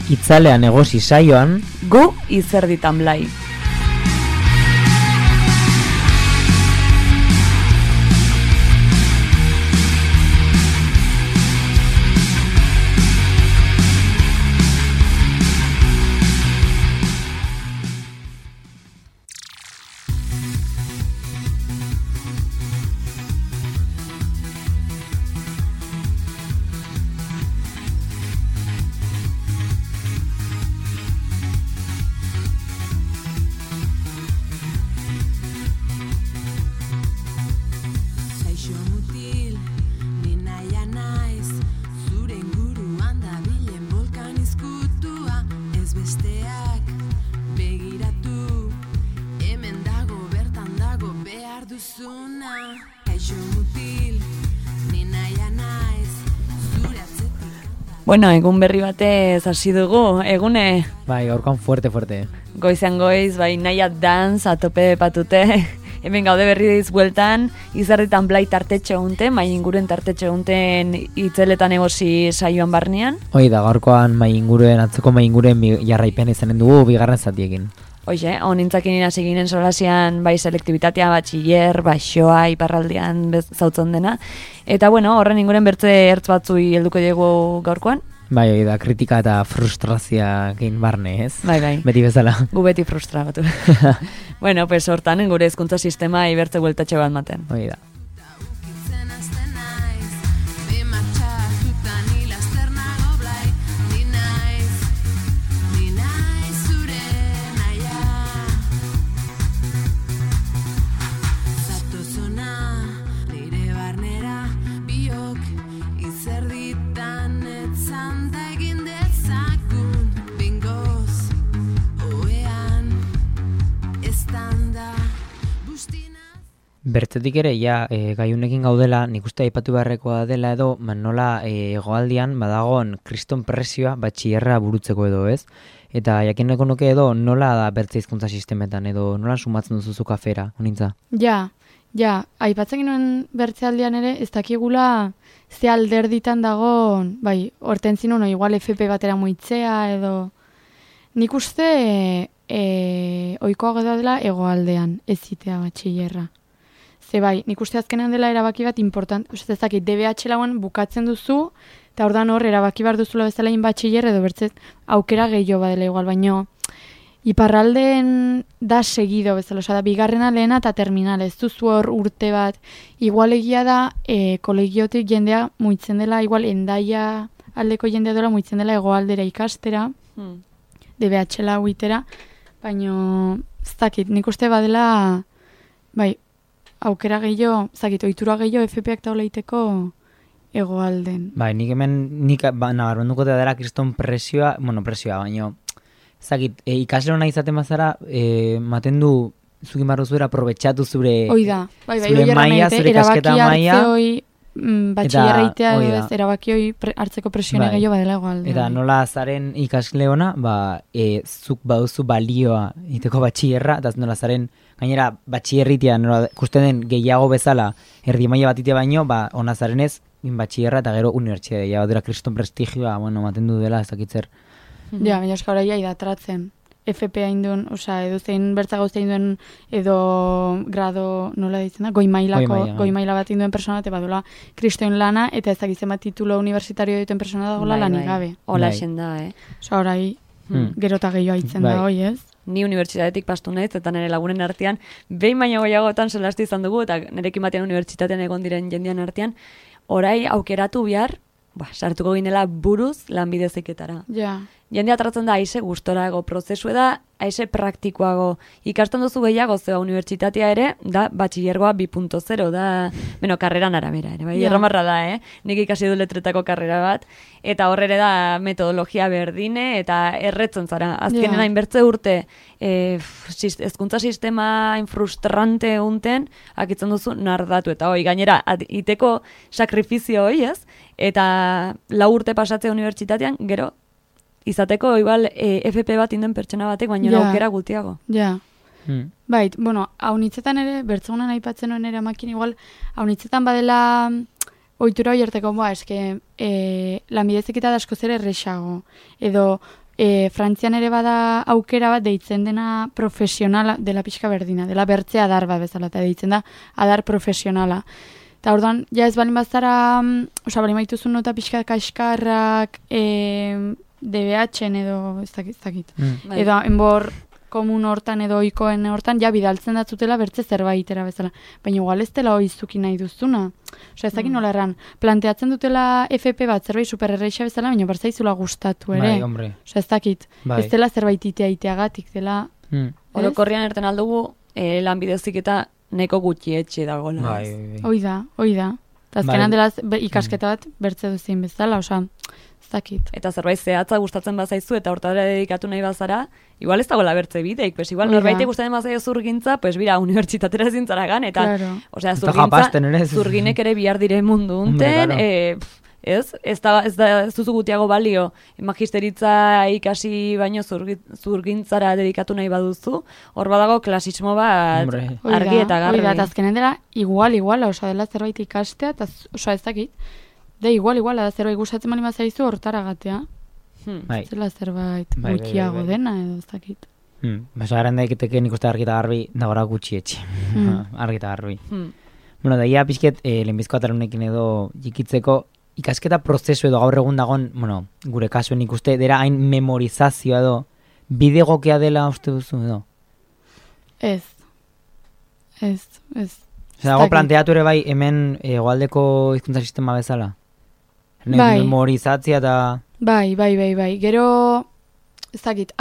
Itzalean egosi saioan, gu izerditan blai. Bueno, egun berri batez hasi dugu, egune. bai, gaurkoan fuerte. Goizean goiz, bai, naia dance, atope patute. Hemen gaude berri diz bueltan, izerditan blai tartetxe egunten, mai inguren tartetxe egunten itzeletan egosi saioan barnean. Hoi da, gaurkoan atzeko mai inguren jarraipen izanen dugu bigarren zatiekin. Hoxe, honintzakin hasi ginen solasian bai selektibitatea, batxiller, baixoa, iparraldean zautzen dena. Eta bueno, horren inguren bertze ertz batzui helduko diegu gaurkoan. Bai, hoi da, kritika eta frustrazioakin barne, ez? Bai. Beti bezala. Gu beti frustratu. Bueno, pues hortan, gure hezkuntza sistema ibertze bueltatxe bat maten. Hoi da. Bertzetik ere, gaiunekin gaudela, nik uste aipatu beharrekoa dela edo, nola hegoaldian badagoen kriston presioa batxillerra burutzeko edo, ez? Eta jakineko nuke edo, nola da bertze hizkuntza sistemetan edo, nola sumatzen duzu kafera, honintza? Ja, aipatzen ginoen bertzealdian ere, ez dakigula ze alderditan dagoen, bai, horten zinun, igual FP batera muitzea edo... Nik uste oikoago dela hegoaldean ez zitea batxillerra. Ze bai, nik uste azkenean dela erabaki bat important, uste ezakit, DBH lauan bukatzen duzu, eta ordan hor erabaki bar duzula bezala batxiller edo bertzet aukera gehiago badela igual, baino iparraldeen da segido bezala, da bigarrena lehena eta terminal, ez duzu hor urte bat, igual egia da kolegiotik jendea muitzen dela, igual endaia aldeko jendea dela muitzen dela hegoaldera ikastera, DBH lau itera, baino ez dakit, nik uste badela, bai, aukera gehiago, ohitura gehiago FP-ak taula iteko hegoalden. Bai, nik nabarmenduko dela kriston presioa, baino, ikasle hona izaten bazara, maten du, zukin barru zuera, aprobetxatu zure maia, zure kasketa maia. Batxillerreitea edo ez, erabaki hoi hartzeko presione gehiago badela hegoalden. Eta nola zaren ikasle hona, zuk baduzu balioa iteko batxillerra, eta nola zaren gainera batxillerritea, ikusten den gehiago bezala, erdi maila bat itea baino, ona zaren ez, batxillerra eta gero unibertsitatea, bat dira kriston prestigioa, maten du dela, ez dakitzer. Ja, baina eska horai idatratzen. FP hain duen, edo zein bertza gauzte hain duen, edo grado, nola ditzen da, goi maila bat hain duen persona, eta badula kristoen lana, eta ez dakitzen bat titulo universitario duten persona dagoela lanik gabe. Hola esen da, Horai, gero eta gehiago haitzen da, hoi ez? Ni unibertsitatetik pastu naiz, eta nire lagunen artean, behin baino goiagotan solastu izan dugu, eta nirekin batean unibertsitatean egon diren jendean artean, orai aukeratu bihar, sartuko ginela buruz lanbide heziketara. Ja. Jendea tratzen da aize gustorago prozesu da, aize praktikoago. Ikasten duzu gehiago zeba unibertsitatea ere, da batxillergoa 2.0, da, karreran arabera ere, bai, erramarra da, Nik ikasi du letretako karrera bat, eta horre da metodologia berdine, eta erretzen zara. Azkenen hainbertze urte, hezkuntza sistema frustrante unten, akitzen duzu nardatu, eta gainera, iteko sakrifizio hoi ez, eta 4 urte pasatzea unibertsitatean, gero, izateko, igual, FP bat inden pertsona batek, baina aukera gutiago. Ja. Bait, haunitzetan ere, bertzegunan aipatzen honen ere amakin, igual, haunitzetan badela ohitura hori harteko, eske, lanbide heziketa da askoz ere erresago. Edo, Frantzian ere bada aukera bat deitzen dena profesionala, dela pixka berdina, dela bertzea adar bat bezala, eta deitzen da adar profesionala. Eta orduan, ja ez balin bazara, balin baituzun nota pixka kaskarrak, DBH-en edo, ez dakit. Edo, enbor komun hortan edo oikoen hortan, ja bidaltzen datzutela bertze zerbaitera bezala. Baina igual ez dela oizuki nahi duzuna. Ez dakit nola erran, planteatzen dutela FP bat zerbait supererreixa bezala, baina berzaizula gustatu ere. Bai, hombre. Ez dakit, ez dela zerbait iteagatik dela. Orokorrian erten aldugu, lanbidezik eta neko gutxi etxe dagoela. Bai. Hoi da. Eta azkenan dela ikasketa bat bertze duzien bezala, ez dakit. Eta zerbait zehatza gustatzen bazaizu eta hortara dedikatu nahi bazara, igual ez dagoela bertze bideik, pues igual norbait gustatzen bazaio zurgintza, pues bira, unibertsitatera zintzara gan, eta, osea, zurginek ere bihar dire mundu unten, ez duzu gutiago balio, magisteritza ikasi baino zurgintzara dedikatu nahi baduzu, hor badago klasismo bat argi eta garbi. Eta azkenen dela igual, osea, dela zerbait ikastea, eta osea, ez dakit, igual, da zerbait gustatzen bali mazaizu hortara gatea. Zela zerbait gutxiago dena edo ez dakit. Basa garen daiketeke nik uste argi eta garbi dagora gutxi etxe. Argi eta garbi. Bueno, daia pixket lehenbizko atalunekin edo jikitzeko ikasketa prozesu edo gaur egun dagon, bueno, gure kasuen ikuste, dera hain memorizazioa edo, bide gokea dela uste duzu edo? Ez. Dago planteatu ere bai hemen egoaldeko hizkuntza sistema bezala? Memorizatzia eta... Bai. Gero, ez dakit,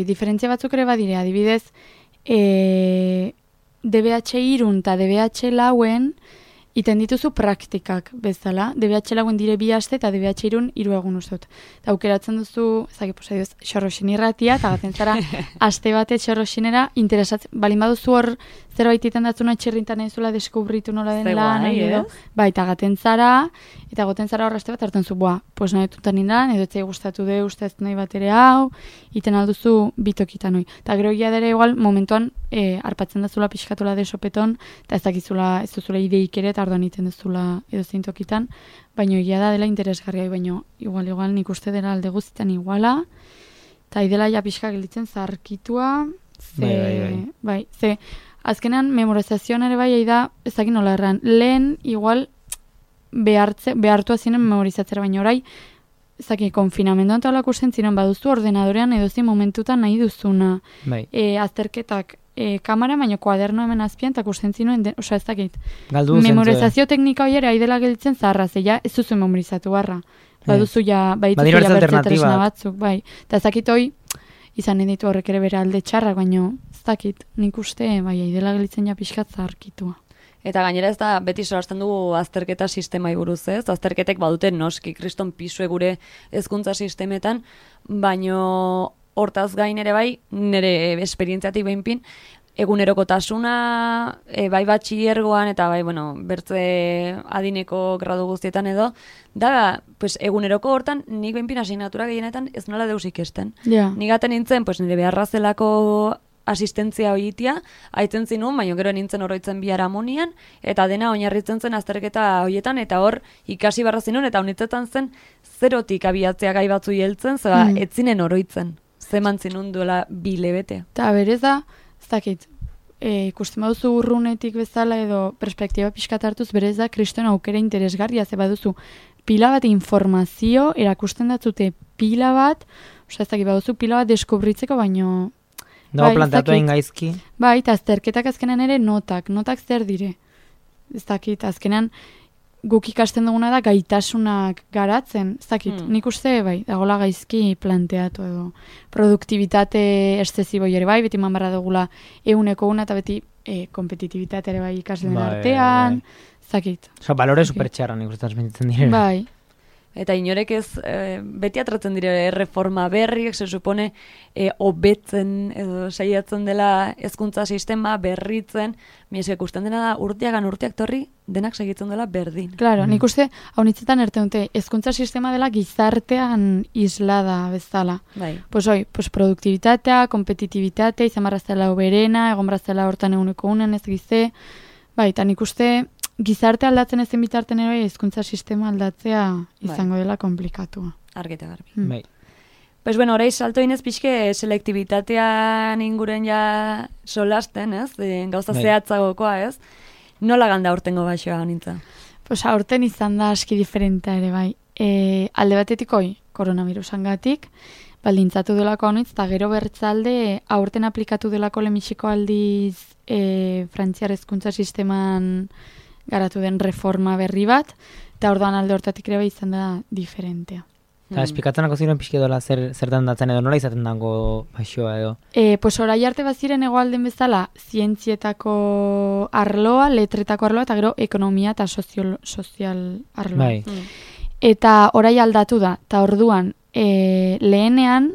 diferentzia batzuk ere badire, adibidez, DBH-3 eta DBH-4 iten dituzu praktikak bezala. DBH-4 dire 2 aste eta DBH-3 3 egun uztot. Eta aukeratzen duzu, ez dakit, xorroxin irratia, eta gaten zara, aste bate xorroxinera, interesatzen, balin baduzu hor zerbait iten datzuna etxerrintan ezula deskubritu nola den lan, edo, eta gaten zara hor aste bat hartzen zu, pues nahi tutan nindan, edo etzai gustatu de uste ez nahi bat ere hau, iten alduzu bitokitan hoi. Eta gero egia dere igual, momentuan, arpatzen dazula pixkatola de sopeton, eta ez duzula ideik ere, eta orduan iten duzula edo zeintokitan, baina egia da dela interesgarria, baina igual nik uste dela alde guztitan iguala, eta idela ja pixka gelditzen zarkitua, bai, azkenean memorizazioan ere bai da, ez dakit nola erran, lehen igual behartu azinen memorizatzera, baina orai, ez dakit, konfinamenduan eta olako ziren baduzu ordenadorean edozin momentutan nahi duzuna. Azterketak kamera, baina kuaderno hemen azpian, eta kusten zinuen, oza ez dakit. Memorizazio teknika hori ere aidela gelditzen zaharra, zeia ez duzu memorizatu barra. Baduzu ja, badituzu ja bertze tresna batzuk, bai. Eta ez dakit hoi, izan ditu horrek ere bere alde txarrak, baina ez dakit, nik uste, bai, aidela gelditzen ja pixkat zaharkitua. Eta gainera ez da, beti solasten dugu azterketa sistemai buruz, ez? Azterketek badute noski, kriston pisue gure hezkuntza sistemetan, baino hortaz gain ere bai, nire esperientziatik behinpin, egunerokotasuna, bai batxillergoan eta bai, bertze adineko gradu guztietan edo, da, pues, eguneroko hortan, nik behinpin asignatura gehienetan ez nola deus ikesten. Nik gaten nintzen, pues, nire beharra zelako asistentzia hoitia, aitzen zinun, baina gero nintzen oroitzen biharamonian, eta dena oinarritzen zen azterketa hoietan, eta hor ikasi barra zinun, eta honitzetan zen zerotik abiatzea gai batzu heltzen, etzinen oroitzen, zeman zinun duela 2 hilabete. Eta berez da, ez dakit, ikusten baduzu urrunetik bezala edo perspektiba pixkat hartuz, berez da kriston aukera interesgarria, ze baduzu pila bat informazio, erakusten datzute pila bat, ez dakit, baduzu pila bat deskubritzeko, baino dago planteatu egin gaizki. Bai, eta azterketak azkenan ere notak zer dire. Ez dakit, azkenan guk ikasten duguna da gaitasunak garatzen, ez dakit, nik uste, bai, dagoela gaizki planteatu edo. Produktibitate eszesibo ere bai, beti manbarra dugula 100 eta beti kompetitibitate ere bai ikasleen artean, ez dakit. Osa, balore supertxarra nik uste transmititzen dire. Bai. Eta inorek ez, beti atratzen dire reforma berriek, se supone, hobetzen edo saiatzen dela hezkuntza sistema berritzen, miesek ikusten dena da urteak torri, denak segitzen dela berdin. Claro, nik uste, hau nitzetan erte dute, hezkuntza sistema dela gizartean islada bezala. Bai. Pues produktibitatea, kompetitibitatea, izan barrazela oberena, egon barrazela hortan 100 ez gize, bai, eta nik uste, gizarte aldatzen ezen bitarten ere hezkuntza sistema aldatzea izango dela komplikatua. Argita garbi. Bai. Pues bueno, orai salto inez pixke selektibitatean inguren ja solasten, ez? Gauza zehatzagokoa, ez? Nola ganda aurtengo baixoa honintza? Pues aurten izan da aski diferentea ere bai. Alde batetik koronavirusangatik, baldintzatu delako honitz, eta gero bertzalde aurten aplikatu delako lehenbiziko aldiz frantziar hezkuntza sisteman garatu den reforma berri bat, eta orduan alde hortatik ere bai izan da diferentea. Eta esplikatzenako ziren pixke dola zertan datzen edo nola izaten dago baixoa edo? Pues orai arte baziren hegoalden bezala zientzietako arloa, letretako arloa, eta gero ekonomia eta sozial arloa. Bai. Eta orai aldatu da, eta orduan lehenean,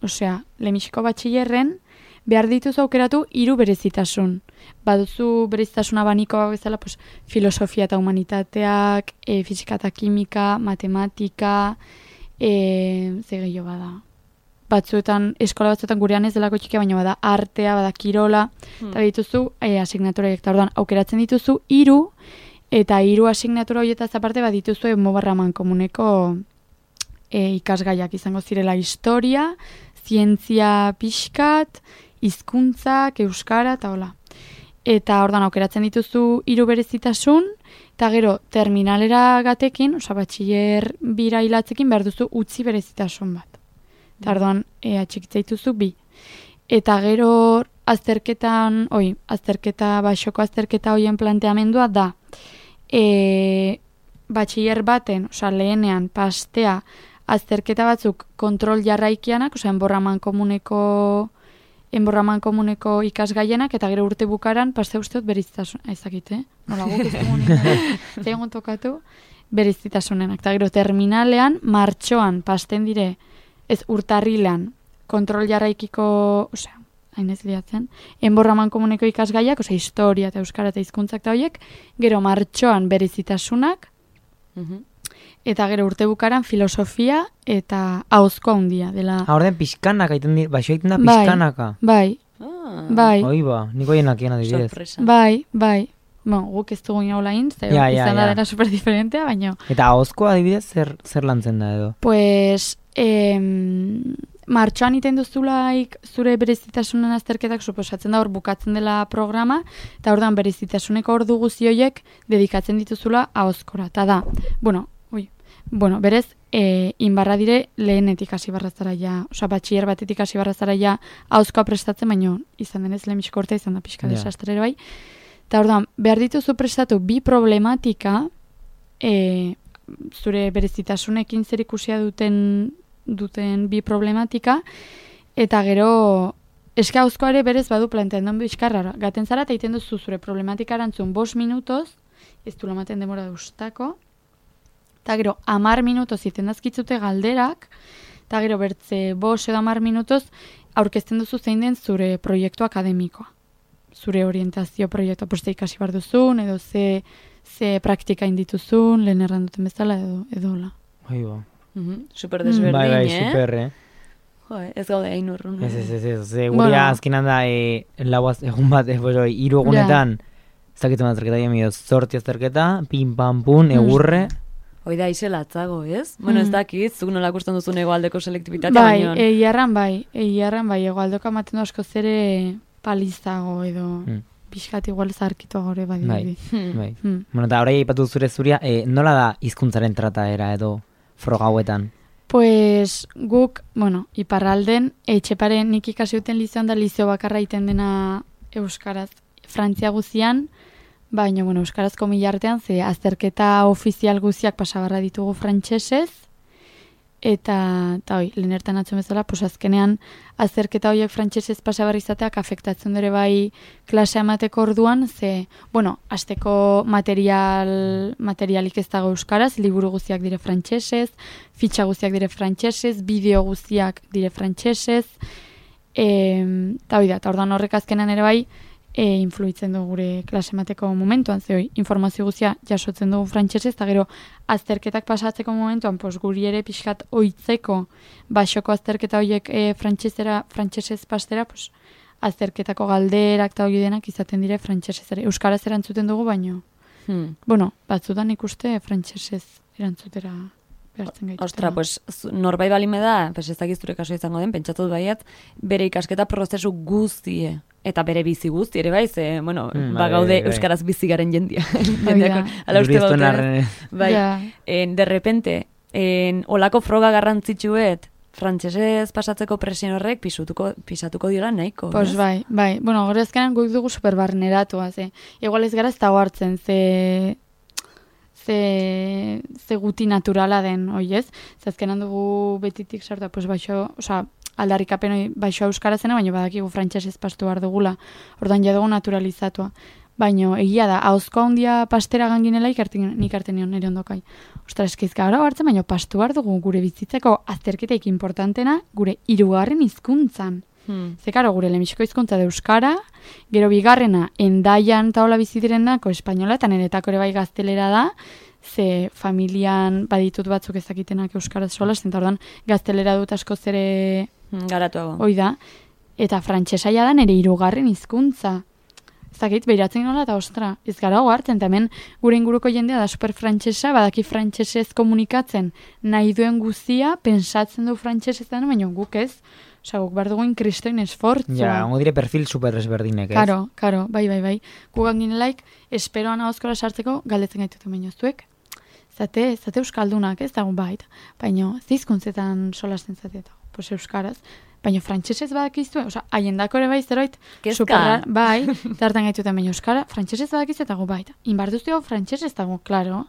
lehenbiziko batxillerren, behar dituzu aukeratu 3 berezitasun. Baduzu berezitasuna banikoa bezala, pues, filosofia eta humanitateak, fisika eta kimika, matematika, gehiago bada. Eskola batzuetan gurean ez delako txikia, baina bada artea, bada kirola, eta dituzu asignaturaiek. Eta orduan, aukeratzen dituzu 3, eta 3 asignatura horietaz aparte badituzu Mobarraman komuneko ikasgaiak izango zirela historia, zientzia pixkat, hizkuntzak, euskara, eta hola. Eta ordan aukeratzen dituzu 3 berezitasun, eta gero terminalera gatekin, batxiller bira hilatzekin behar duzu utzi berezitasun bat. Eta ordan atxikitza dituzu 2. Eta gero baxoko azterketa hoien planteamendua da, batxiller baten, lehenean pastea azterketa batzuk kontrol jarraikianak, enborraman komuneko ikasgaienak, eta gero urte bukaran paste usteot berizitasun, ezakite, nola guk ez dugu egon tokatu, berizitasunenak. Eta gero terminalean, martxoan pasten dire, ez urtarrilean, kontrol jarraikiko, hain ez liatzen, enborraman komuneko ikasgaiak, historia eta euskara eta hizkuntzak eta horiek, gero martxoan berizitasunak, eta gero urte bukaran filosofia eta ahozko handia dela. Orden pixkanaka, baixo egiten da pixkanaka. Bai. Hoi ba, niko jenak egin adibidez. Sorpresa. Bai. Guk ez dugu inaula izan da dena superdiferentea, baina... Eta ahozko adibidez zer lantzen da edo? Pues, martxoan iten duzulaik zure berezitasunen azterketak suposatzen da hor bukatzen dela programa, eta ordan berezitasuneko ordu guzi horiek dedikatzen dituzula ahozkora. Eta da, berez, inbarra dire lehenetik hasi barrazara ja, batxiller batetik hasi barrazara ja ahozkoa prestatzen, baina izan denez lehenbiziko urtea izan da pixka desastrere bai. Eta orduan, behar dituzu prestatu 2 problematika, zure berezitasunekin zer ikusia duten 2 problematika, eta gero eske ahozkoa ere berez badu plantean duen bizkarra. Gaten zara eta iten duzu zure problematika erantzun 5 minutoz, ez du lamaten demora duztako, eta gero 10 minutoz iten dazkitzute galderak, eta gero bertze 5 edo 10 minutoz aurkezten duzu zein den zure proiektu akademikoa. Zure orientazio proiektua, poste ikasi bar duzun, edo ze praktika indituzun, lehen erranduten bezala, edo hola. Super desberdin, Bai, super, ez gaude hain urrun. Ez, guria azkenan da, egun bat, 3 egunetan, ez dakitzen azterketa, jamio, zorti azterketa, pin, pan, pun, egurre. Hoi da, izelatzago, ez? Bueno, ez dakit, zuk nola ikusten duzun egoaldeko selektibitatea, baino. Egiarran bai, egoaldeko amaten asko zere palizago edo pixkat igual zarkitu gore bai. Bueno, eta horai aipatu zuria, nola da hizkuntzaren trataera edo froga hauetan? Pues guk, iparralden, etxepare nik ikasi duten lizioan da lizio bakarra iten dena euskaraz. Frantzia guzian, baina, euskarazko milartean, ze azterketa ofizial guziak pasabarra ditugu frantsesez, eta lehen ertan atzun bezala, azkenean azterketa horiek frantsesez pasabarra izateak afektatzen dure bai klasea emateko orduan, ze, hasteko materialik ez dago euskaraz, liburu guziak dire frantsesez, fitxa guziak dire frantsesez, bideo guziak dire frantsesez, eta orduan horrek azkenean ere bai, influitzen du gure klase emateko momentuan, ze informazio guztia jasotzen dugu frantsesez, eta gero azterketak pasatzeko momentuan, guri ere pixkat oitzeko baxoko azterketa horiek frantsesez pastera, azterketako galderak eta hori denak izaten dire frantsesez ere. Euskaraz erantzuten dugu, baino. Batzutan ikuste frantsesez erantzutera behartzen gaitu. Ostra, pues norbait balime da, pues ez dakiz zure kaso izango den, pentsatut baiat, bere ikasketa prozesu guztie eta bere bizi guzti ere bai, ze, bueno, gaude euskaraz bizi garen jendia. Ala uste baute. Bai, de repente, olako froga garrantzitsuet, frantsesez pasatzeko presion horrek pisatuko diola nahiko. Pues bai. Bueno, gero ezkenan guk dugu superbarneratua, ze. Igual ez gara ez dago hartzen, ze guti naturala den, oiez? Ze azkenan dugu betitik sartu, pues baixo, osea, aldarrikapen baixo euskara zena, baina badakigu frantsesez pastu behar dugula. Ordan ja dugu naturalizatua. Baina egia da, ahozko handia pastera ganginela nik arte nion nire ondokai. Ostra, eskizka gara hartzen, baina pastu behar dugu gure bizitzeko azterketeik importantena gure 3. hizkuntzan. Zekaro, gure lehenbiziko hizkuntza da euskara, gero bigarrena endaian taola bizi direnako espainola, eta niretako ere bai gaztelera da, ze familian baditut batzuk ezakitenak euskaraz sola, zenta ordan gaztelera dut asko zere garatuago. Hoi da, eta frantsesaia da nire 3. hizkuntza. Zakit, behiratzen nola, eta ostra, ez gara hartzen, eta hemen gure inguruko jendea da super frantsesa, badaki frantsesez komunikatzen nahi duen guztia, pensatzen du frantsesez da, baina guk ez, osea, guk behar dugu inkristoin esfortzua. Ja, hongo dire perfil super ezberdinek, ez? Karo, bai. Gugan ginelaik, esperoan ahozkora sartzeko, galdetzen gaituten baino zuek. Zate euskaldunak, ez dago bait, baina zizkuntzetan solasten zateeta, pues euskaraz. Baina frantsesez badakizue, osea, haiendako ere bai zeroit, superra, bai, zartan gaituten baina euskara, frantsesez badakizue eta gu bai. Inbarduztu hau frantsesez dago, klaro.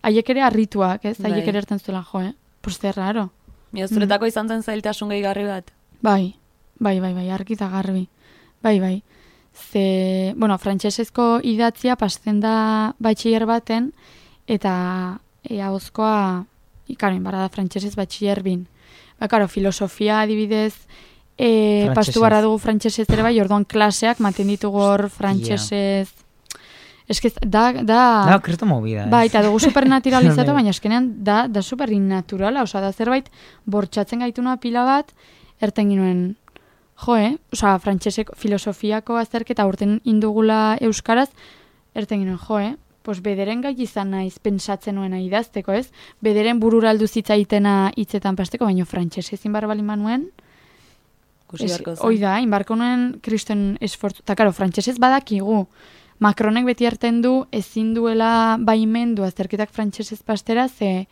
Haiek ere harrituak, ez? Haiek ere erten zuela jo, Pues zer raro. Zuretako izan zen zailtasun gehigarri bat? Bai, argi eta garbi. Bai. Ze, bueno, frantsesezko idatzia pasten da batxiller baten, eta ahozkoa, ikaro, inbarra da frantsesez batxiller bin. Karo, filosofia adibidez pastu barra dugu frantsesez ere bai, orduan klaseak maten ditugu hor frantsesez. Eskez, da kristo movida. Bai, eta dugu supernaturalizatu, baina eskenean da super innaturala, osea, da zerbait bortxatzen gaituna pila bat, erten ginuen, osea, frantseseko filosofiako azterketa urten indugula euskaraz, erten ginuen, pues bederen gai izan naiz pentsatzen nuena idazteko, ez? Bederen burura aldu zitzaitena hitzetan pasteko, baina frantsesez inbar bali manuen. Hoi da, inbarko nuen kriston esfortzu. Eta karo, frantsesez badakigu. Macronek beti hartzen du ezin duela baimendu azterketak frantsesez pastera, ze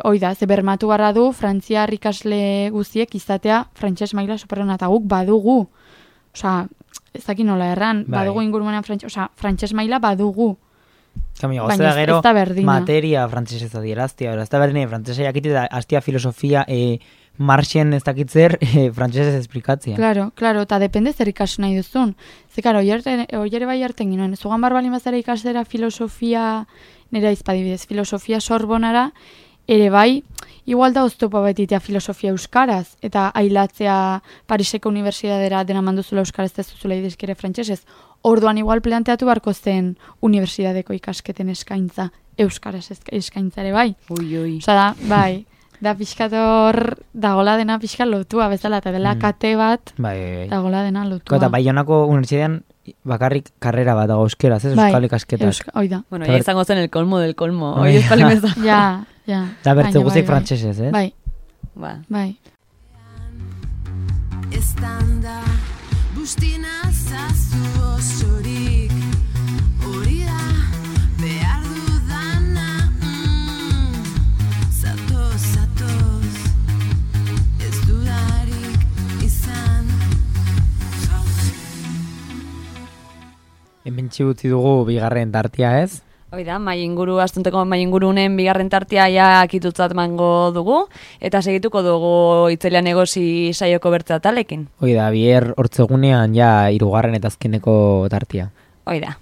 hoi da, ze bermatu barra du frantziar ikasle guziek izatea frantses maila superrona, eta guk badugu. Osea, ez dakit nola erran, badugu ingurumenan frantses maila badugu. Baina ez da berdina. Materia frantsesez adieraztia, ez da berdina frantsesa jakite da hastia filosofia marxen ez dakitzer frantsesez esplikatzia. Claro, eta depende zer ikasu nahi duzun. Ze karo, oiere bai harten ginoen, zugan barbalin bazara ikasera filosofia, nera izpadibidez, filosofia Sorbonara, ere bai, igual da oztopa betitea filosofia euskaraz, eta ailatzea Pariseko unibertsitatera dena manduzula euskaraz ez zuzula idezkere frantsesez. Orduan igual planteatu barko zen unibertsitateko ikasketen eskaintza, euskaraz eskaintza ere bai. Ui. Osa da, bai, da pixkator dagola dena pixka lotua bezala, eta dela kate bat dagola dena lotua. Eta Baionako unibertsitatean bakarrik karrera bat dago euskeraz, ez? Euskal ikasketak. Oida. Bueno, ya izango zen el colmo del colmo. Oi euskal imeza. Ja. Da bertze guzik frantsesez, ez? Bai. Estanda bustina zazu osorik, hori da behar dudana, zatoz, ez dudarik izan. Hemen txigutzi dugu bigarren tartia, ez? Oida, astunteko mai ingurunen bigarren tartia ja akitutzat mango dugu, eta segituko dugu Itzelian Negozi saioko bertze atalekin. Oida, bier hortzegunean ja 3. eta azkeneko tartia. Oida.